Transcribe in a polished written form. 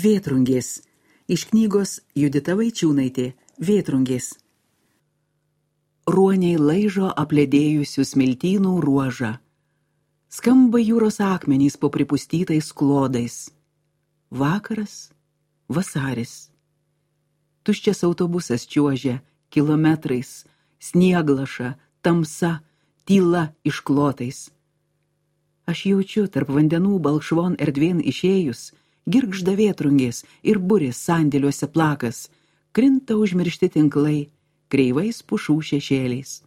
Vėtrungės. Iš knygos Judita Vaičiūnaitė. Vėtrungės. Ruoniai laižo apledėjusių smiltynų ruožą. Skamba jūros akmenys po pripustytais klodais. Vakaras, vasaris. Tuščias autobusas čiuožia kilometrais, snieglaša, tamsa, tyla išklotais. Aš jaučiu tarp vandenų balkšvon erdvėn išėjus, girgžda vėtrungės ir burės sandėliuose plakas, krinta užmiršti tinklai, kreivais pušų šešėliais.